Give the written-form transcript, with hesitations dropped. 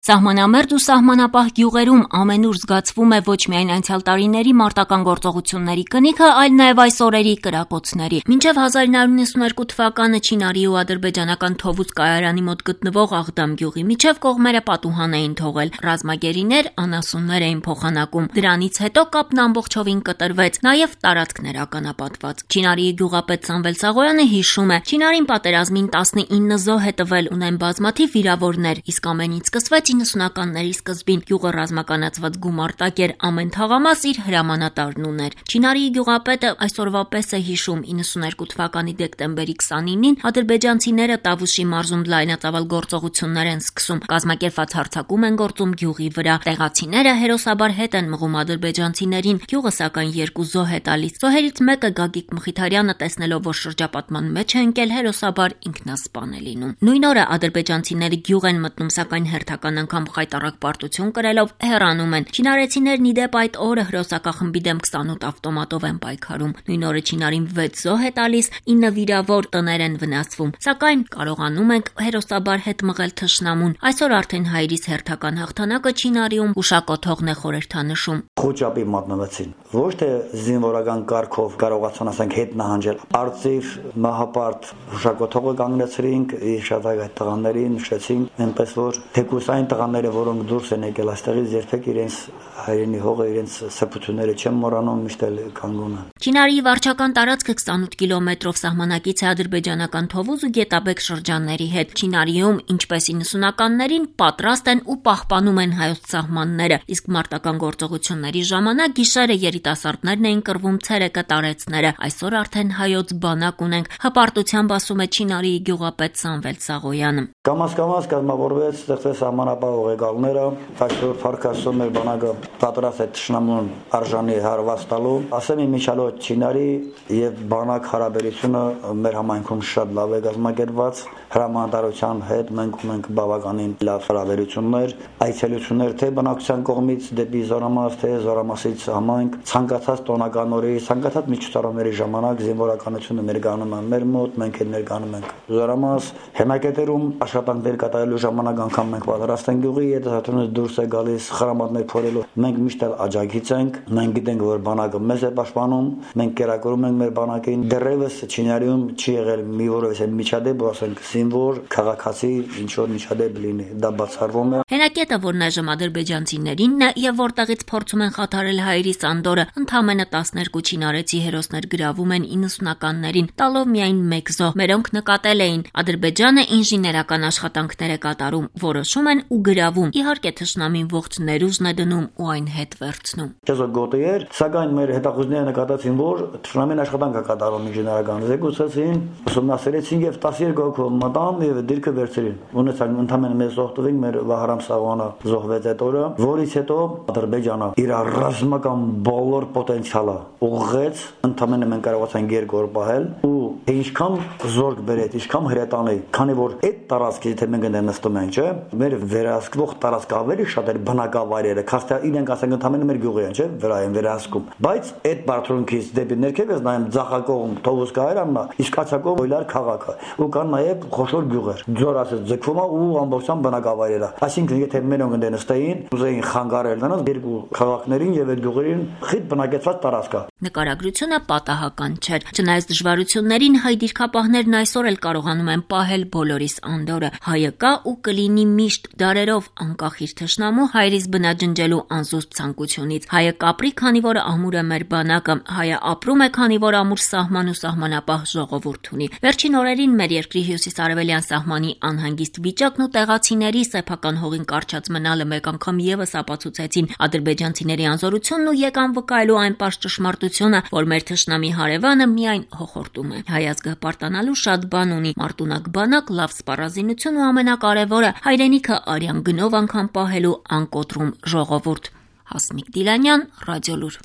Սահմանամերձ ու սահմանապահ գյուղերում ամենուր զգացվում է ոչ միայն անցյալ տարիների մարտական գործողությունների կնիքը, այլ նաև այս օրերի կրակոցների։ Մինչև 1992 թվականը Չինարի ու ադրբեջանական Թովուզ կայարանի մոտ գտնվող Աղդամ գյուղի միջև կողմերը պատուհան էին թողել, ռազմագերիներ, անասուններ էին փոխանակում։ Դրանից հետո կապն ամբողջովին կտրվեց, նաև տարածքներ ականապատված։ Չինարի գյուղապետ Սամվել Սաղոյանը հիշում է, Չինարին պատերազմին 19 զոհ է տվել, ունեն բազմաթիվ վիրավորներ, իսկ ամենից սկսվեց 90-ականների սկզբին գյուղը ռազմականացված գումարտակ էր, ամեն թաղամաս իր հրամանատարն ուներ։ Չինարի գյուղապետը այսօրվա պես է հիշում 92 թվականի դեկտեմբերի 29-ին ադրբեջանցիները Տավուշի մարզում լայնածավալ գործողություններ են սկսում, կազմակերպված հարձակում են գործում գյուղի վրա։ Տեղացիները հերոսաբար հետ են մղում ադրբեջանցիներին, գյուղը սակայն 2 զոհ է տալիս։ Զոհերից մեկը Գագիկ Մխիթարյանը տեսնելով, որ շրջապատման մեջ է ընկել, հերոսաբար ինքնասպան է լինում։ Նույն օրը ադրբեջանցիները գյուղ են մտնում, սակայն հերթական անգամ խայտառակ պարտություն կրելով հեռանում են։ Չինարեցիներն ի դեպ այդ օրը հրոսակախմբի դեմ 28 ավտոմատով են պայքարում։ Նույն օրը Չինարին 6 զոհ է տալիս, 9 վիրավոր, տներ են վնասվում։ Սակայն կարողանում ենք հերոսաբար հետ մղել թշնամուն։ Այսօր արդեն հայրից հերթական հաղթանակը Չինարիում ուշակոթողն է խորհրդանշում։ Խոճապի մատնվեցին։ Ոչ թե զինվորական կարգով կարողացան ասենք հետ նահանջել։ Արծիվ մահապարտ ուշակոթողը կանգնեցրինք, շատ այդ տղաներին նշեցինք, այնպես որ թեկուս այն տղաները, որոնք դուրս են եկել այստեղից, երբեք իրենց հայրենի հողը, իրենց սրբությունները չեն մոռանում, միշտ էլ կանգուն են։ Չինարի վարչական տարածքը 28 կիլոմետրով սահմանակից է ադրբեջանական Թովուզ ու Գետաբեկ շրջանների հետ։ Չինարիում, ինչպես 90-ականներին, պատրաստ են ու պահպանում են հայոց սահմանները, իսկ մարտական գործողությունների ժամանակ գիշերը երիտասարդներն էին կռվում ցերեկը տարեցները։ Այսօր արդեն հայոց բանակ ունենք, հպարտությամբ ասում է Չինարի գյուղապետ Սամվել Սաղոյանը։ Կամաց կազմավորվեց, ստեղծեց սահմանապահ ուղեկալները, այսօր Ֆարքասում մեր բանակը պատրաստ է թշնամուն արժանի հարված տալու։ Ասեմ իմիջիալոց Չինարի եւ բանակ հարաբերությունը մեր համայնքում շատ լավ է կազմակերպված։ Հրամանատարության հետ մենք ունենք բավականին լավ հարաբերություններ, այցելություններ թե բնակչության կողմից դեպի Զորամաս, թե Զորամասից համայնք, ցանկացած տոնական օրերի, ցանկացած միջոցառումների ժամանակ զինվորականությունը ներկայանում է մեր մոտ, մենք էլ ներկայանում ենք Զորամաս, հենակետերում աշխատանքներ կատարելու ժամանակ անգամ մենք պատրաստ ենք գյուղի հետազոտությունից դուրս է գալիս խրամատներ փորելու։ Մենք միշտ աջակից ենք, մենք գիտենք, որ բանակը մեզ է պաշտպանում, մենք կերակրում ենք մեր բանակին։ Դեռևս Չինարիում չի եղել մի որևէ միջադեպ, ասենք զինվոր, քաղաքացի, ինչ որ միջադեպ լինի, դա բացառվում է։ Հենակետը, որն այժմ ադրբեջանցիներինն է եւ որտեղից փորձում են խաթարել հայերի Սանդորը, ընդամենը 12 չինարեցի հերոսներ գրավում են 90-ականներին, տալով միայն 1 զոհ, մերոնք նկատել էին։ Ադրբեջանը ինժեներական աշխատանքներ է կատարում, որոշում են ու գրավում։ Իհարկե թշնամին ողջ ներուժն է դնում ու այն հետ վերցնում։ Չեզոք գոտի էր, սակայն մեր հետախուզները նկատեցին, որ թշնամին աշխատանք է կատարում ինժեներական, զեկուցեցին, ուսումնասիրեցին եւ 12 հոգով մտան եւ դիրքը վերցրին։ Ունեցան ընդամենը մեզ զոհտվին, մեր Վահրամ Սաղոյանը զոհվեց այդ օրը, որից հետո Ադրբեջանը իր ռազմական բոլոր պոտենցիալը ուղղեց, ընդամենը մենք կարողացանք 2 օր պահել ու ինչքան զորք բերեց, ինչքան հրետանի, քանի որ այդ տարածքից թե մենք նստում ենք, չէ՞, մեր վերահսկվող տարածքը ավելի շատ էր բնակավայրերը, քան իրենք ասենք ընդամենը մեր գյուղի են, չէ՞, վրա են վերահսկում։ Բայց այդ բարդությունից դեպի ներքև ես նայում Ձախակողմ, Թովուզ կայարանն է, իսկ Ացակողմ Օյլար քաղաքը, ու կան նաև խոշոր գյուղեր։ Ձոր ասած ձգվում է ու ամբողջությամբ բնակավայրերը։ Այսինքն եթե մերոնք նստեին, ուզեին խանգարել նրանց երկու քաղաքներին եւ այդ գյուղերին խիտ բնակեցված տարածքը։ Նկարագրությունը պատահական չէր։ Չնայած դժվարություններին, հայ դիրքապահներն այսօր էլ կարողանում են պահել բոլորիս անդորը։ Հայը կա ու կլինի միշտ դարերով անկախ իր թշնամու հայրից բնաջնջելու անզուսպ ցանկությունից։ Հայը կապրի, քանի որ ամուր է մեր բանակը։ Հայը ապրում է, քանի որ ամուր սահման ու սահմանապահ ժողովուրդ ունի։ Վերջին օրերին մեր երկրի հյուսիսարևելյան սահմանի անհանգիստ վիճակն ու տեղացիների սեփական հողին կարճած մնալը մեկ անգամ եւս ապացուցեցին ադրբեջանցիների անզորությունն ու եկան վկայելու այն պարզ ճշմարտությունը, որ մեր թշնամի հարևանը միայն հոխորտում է։ Հայ ազգը պարտանալու շատ բան ունի՝ մարտունակ բանակ, լավ սպառազինություն ու ամենակարևորը հայրենիքը արյան գնով անգամ պահելու անկոտրում ժողովուրդ։ Հասմիկ Դիլանյան, Ռադիոլուր։